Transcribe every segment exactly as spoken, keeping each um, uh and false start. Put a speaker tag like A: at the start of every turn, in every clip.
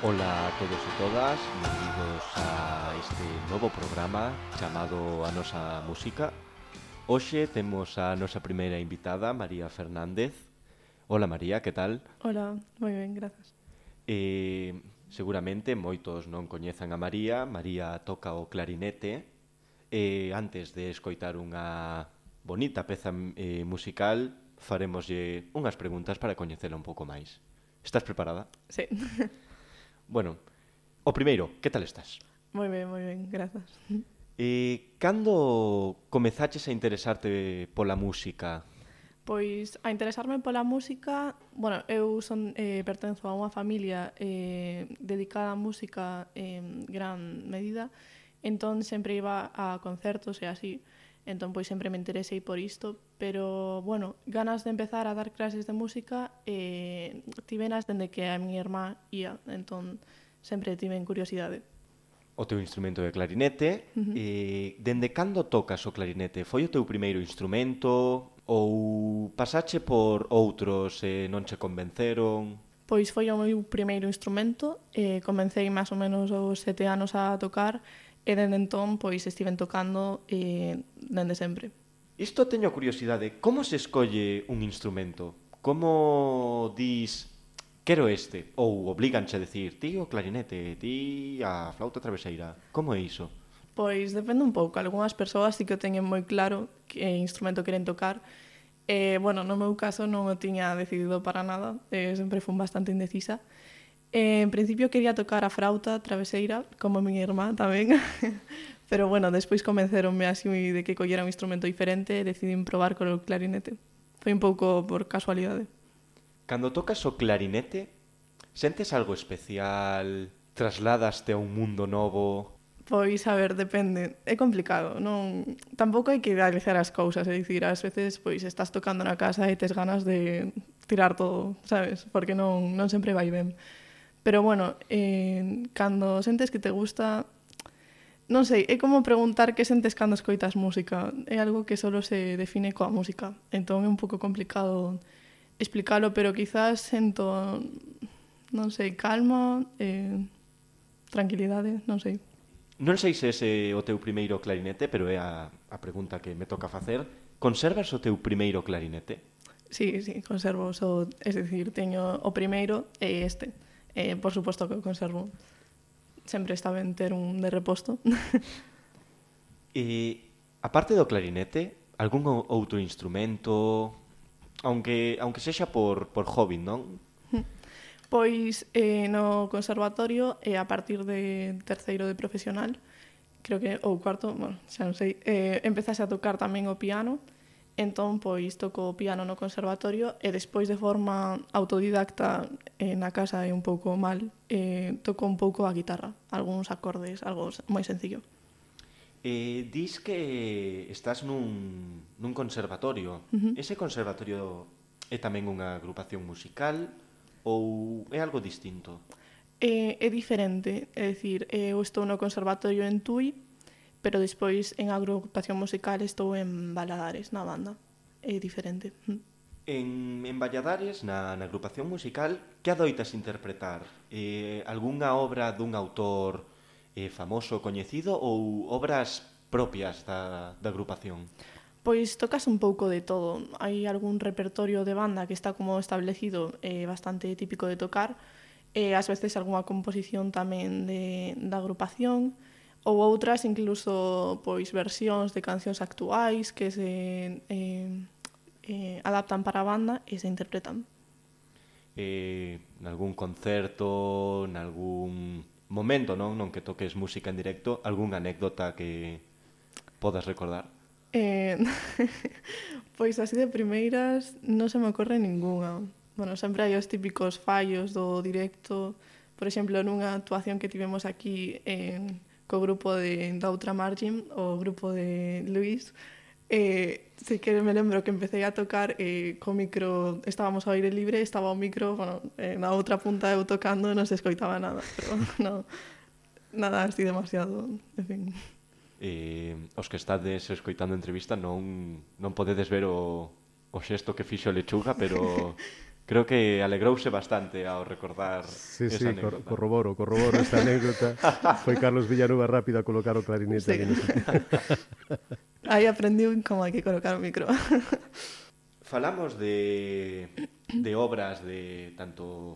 A: Ola a todos e todas, benvidos a este novo programa chamado A Nosa Música. Hoxe temos a nosa primeira invitada, María Fernández. Ola María, que tal?
B: Hola, moi ben, grazas.
A: Eh, seguramente moitos non coñezan a María. María toca o clarinete. E antes de escoitar unha bonita peza eh, musical, faremoslle unhas preguntas para coñecela un pouco máis. Estás preparada?
B: Sí,
A: Bueno, o primeiro, que tal estás?
B: moi ben, moi ben, grazas.
A: E cando comezaches a interesarte pola música?
B: Pois a interesarme pola música, bueno, eu son eh, pertenzo a unha familia eh, dedicada á música en gran medida, entón sempre iba a concertos e así, entón pois sempre me interesei por isto, pero, bueno, ganas de empezar a dar clases de música eh, tivenas dende que a miña irmá ia, entón sempre tiven curiosidade.
A: O teu instrumento é clarinete.
B: Uh -huh.
A: E dende cando tocas o clarinete? Foi o teu primeiro instrumento ou pasache por outros e non che convenceron?
B: Pois foi o meu primeiro instrumento, e comecei máis ou menos aos sete anos a tocar, e dende entón pois estiven tocando e dende sempre.
A: Isto teño curiosidade. Como se escolle un instrumento? Como dis, quero este? Ou obliganche a decir, ti o clarinete, ti a flauta traveseira? Como é iso?
B: Pois depende un pouco. Algúnas persoas sí que o teñen moi claro que instrumento queren tocar. E, bueno, no meu caso non o tiña decidido para nada. E sempre fun bastante indecisa. E, en principio quería tocar a flauta traveseira, como a miña irmá tamén. Pero, bueno, despois convenceronme así de que collera un instrumento diferente e decidín probar con o clarinete. Foi un pouco por casualidade.
A: Cando tocas o clarinete, sentes algo especial? Trasladaste a un mundo novo?
B: Pois, a ver, depende. É complicado, non... Tampouco hai que idealizar as cousas, é dicir, ás veces pois estás tocando na casa e tes ganas de tirar todo, sabes? Porque non, non sempre vai ben. Pero, bueno, eh, cando sentes que te gusta... Non sei, é como preguntar que sentes cando escoitas música. É algo que solo se define coa música. Entón é un pouco complicado explicalo, pero quizás sento, non sei, calma, eh, tranquilidade, non sei.
A: Non sei se ese é o teu primeiro clarinete, pero é a, a pregunta que me toca facer. Conservas o teu primeiro clarinete?
B: Sí, sí, conservo. So, es decir, teño o primeiro e este. Eh, por suposto que o conservo. Sempre está ben ter un de reposto.
A: E, aparte do clarinete, algún outro instrumento, aunque, aunque sexa por, por hobby, non?
B: Pois eh, no conservatorio e a partir de terceiro de profesional, creo que, ou cuarto, bueno, xa non sei, eh, empezase a tocar tamén o piano, entón pois toco o piano no conservatorio e despois de forma autodidacta eh, na casa é un pouco mal, eh, toco un pouco a guitarra, algúns acordes, algo moi sencillo.
A: Eh, dis que estás nun, nun conservatorio.
B: Uh -huh.
A: Ese conservatorio é tamén unha agrupación musical ou é algo distinto?
B: É, é diferente, é dicir, eu estou no conservatorio en Tui, pero despois en agrupación musical estou en Valadares, na banda. É diferente.
A: En, en Valladares, na, na agrupación musical, que adoitas interpretar? Eh, algunha obra dun autor eh, famoso, coñecido, ou obras propias da, da agrupación?
B: Pois tocas un pouco de todo. Hai algún repertorio de banda que está como establecido, eh, bastante típico de tocar, e ás veces algunha composición tamén de, da agrupación, ou outras incluso pois versións de cancións actuais que se eh, eh, adaptan para a banda e se interpretan.
A: Eh, nalgún concerto, nalgún momento, non, non que toques música en directo, algunha anécdota que podas recordar?
B: Eh, pois así de primeiras non se me ocorre ningunha. Bueno, sempre hai os típicos fallos do directo. Por exemplo, nunha actuación que tivemos aquí en, co grupo de, da outra margin, o grupo de Luis, eh, sí que me lembro que empecé a tocar eh, co micro, estábamos ao aire libre, estaba o micro, bueno, eh, na outra punta eu tocando, non se escoitaba nada, pero no, nada así demasiado, en fin.
A: Eh, os que estades escoitando a entrevista non, non podedes ver o, o xesto que fixo Lechuga, pero Creo que alegrouse bastante ao recordar
C: Sí,
A: esa
C: sí,
A: anécdota.
C: cor corroboro, corroboro esta anécdota. Foi Carlos Villanueva rápido a colocar o clarinete.
B: Sí.
C: ali no sitio.
B: Aí aprendiu como hai que colocar o micro.
A: Falamos de, de obras de tanto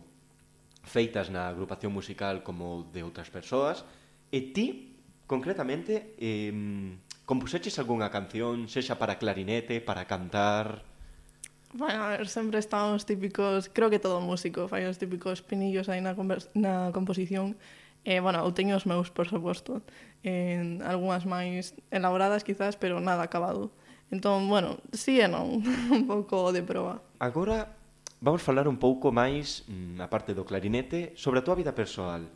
A: feitas na agrupación musical como de outras persoas, e ti, concretamente, eh, compuseches algunha canción, sexa para clarinete, para cantar...
B: Bueno, a ver, sempre están os típicos, creo que todo músico fai os típicos pinillos aí na, convers- na composición. Eh, bueno, eu teño os meus, por suposto, en algunhas máis elaboradas quizás, pero nada acabado. Entón, bueno, sí e non, un pouco de proba.
A: Agora vamos falar un pouco máis, na parte do clarinete, sobre a tua vida persoal.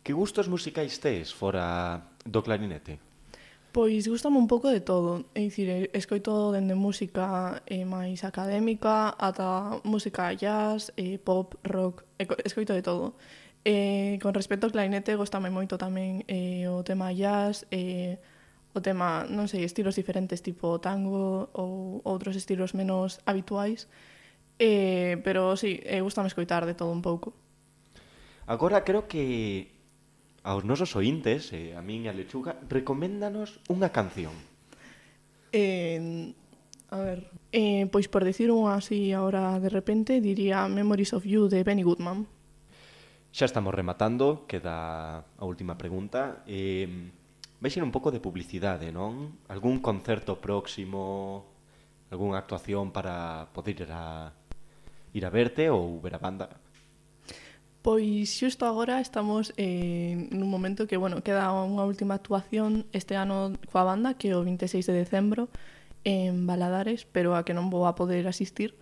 A: Que gustos musicais tes fora do clarinete?
B: Pois gustame un pouco de todo, é dicir, escoito dende música eh, máis académica ata música jazz, eh, pop, rock, eco- escoito de todo. Eh, con respecto ao clarinete, gustame moito tamén eh, o tema jazz, eh, o tema, non sei, estilos diferentes tipo tango ou outros estilos menos habituais, eh, pero sí, eh, gustame escoitar de todo un pouco.
A: Agora creo que aos nosos ointes, e a min e a Lechuga, recoméndanos unha canción.
B: Eh, a ver, eh, pois por decir unha así ahora de repente, diría Memories of You de Benny Goodman.
A: Xa estamos rematando, queda a última pregunta. Eh, vai ser un pouco de publicidade, non? Algún concerto próximo, algunha actuación para poder ir a, ir a verte ou ver a banda?
B: Pois xusto agora estamos eh, nun momento que, bueno, queda unha última actuación este ano coa banda, que é o vinte e seis de decembro, en Valadares, pero a que non vou a poder asistir.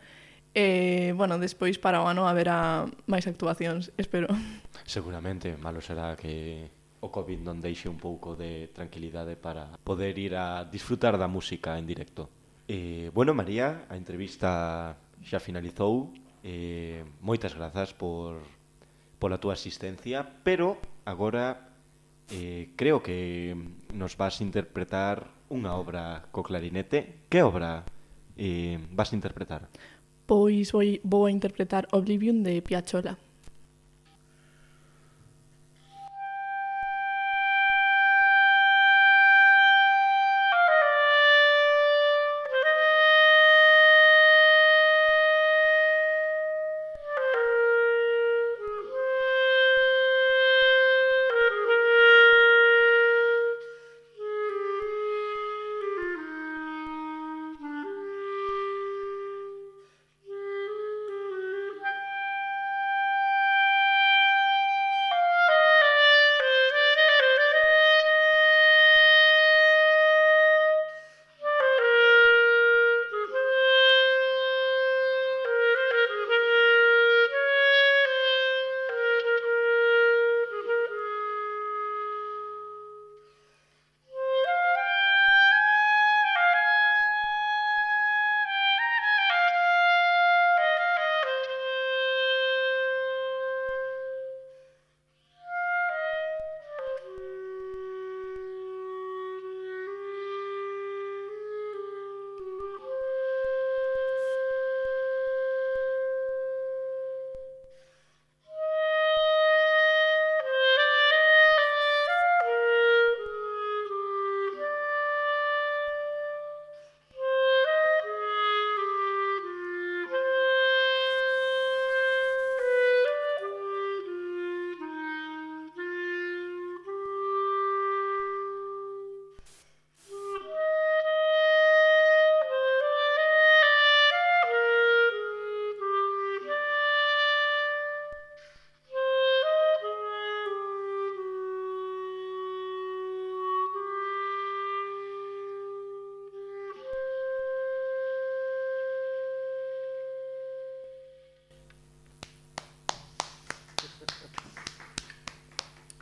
B: E, bueno, despois para o ano haberá máis actuacións, espero.
A: Seguramente, malo será que o COVID non deixe un pouco de tranquilidade para poder ir a disfrutar da música en directo. Eh, bueno, María, a entrevista xa finalizou. Eh, moitas grazas por pola túa asistencia, pero agora eh, creo que nos vas interpretar unha obra co clarinete. Que obra eh, vas a interpretar?
B: Pois vou, vou a interpretar Oblivion de Piazzolla.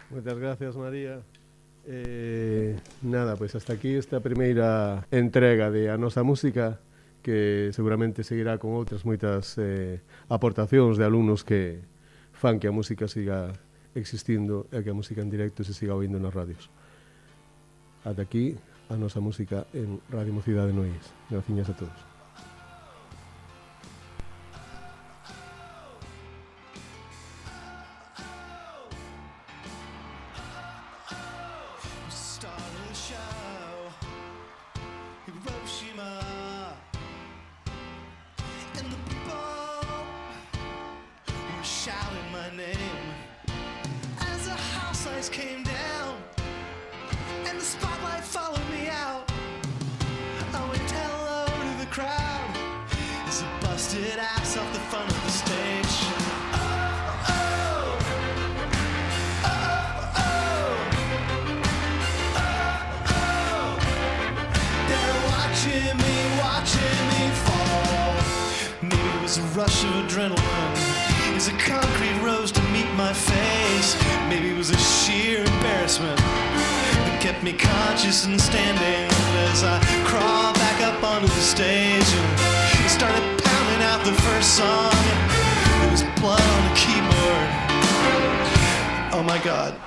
C: Moitas gracias, María. Eh, nada, pois hasta aquí esta primeira entrega de A Nosa Música, que seguramente seguirá con outras moitas eh, aportacións de alumnos que fan que a música siga existindo e que a música en directo se siga oindo nas radios. Ata aquí A Nosa Música en Radio Mocidade Nois. Graciñas a todos.
D: lights came down and the spotlight followed me out. I went hello to the crowd as I busted ass off the front of the stage. Oh, oh, oh, oh, oh, oh. They're watching me, watching me fall. Maybe it was a rush of adrenaline as a concrete rose to meet my face. Maybe it was a sheer embarrassment that kept me conscious and standing as I crawled back up onto the stage and started pounding out the first song. There was blood on the keyboard. Oh my God.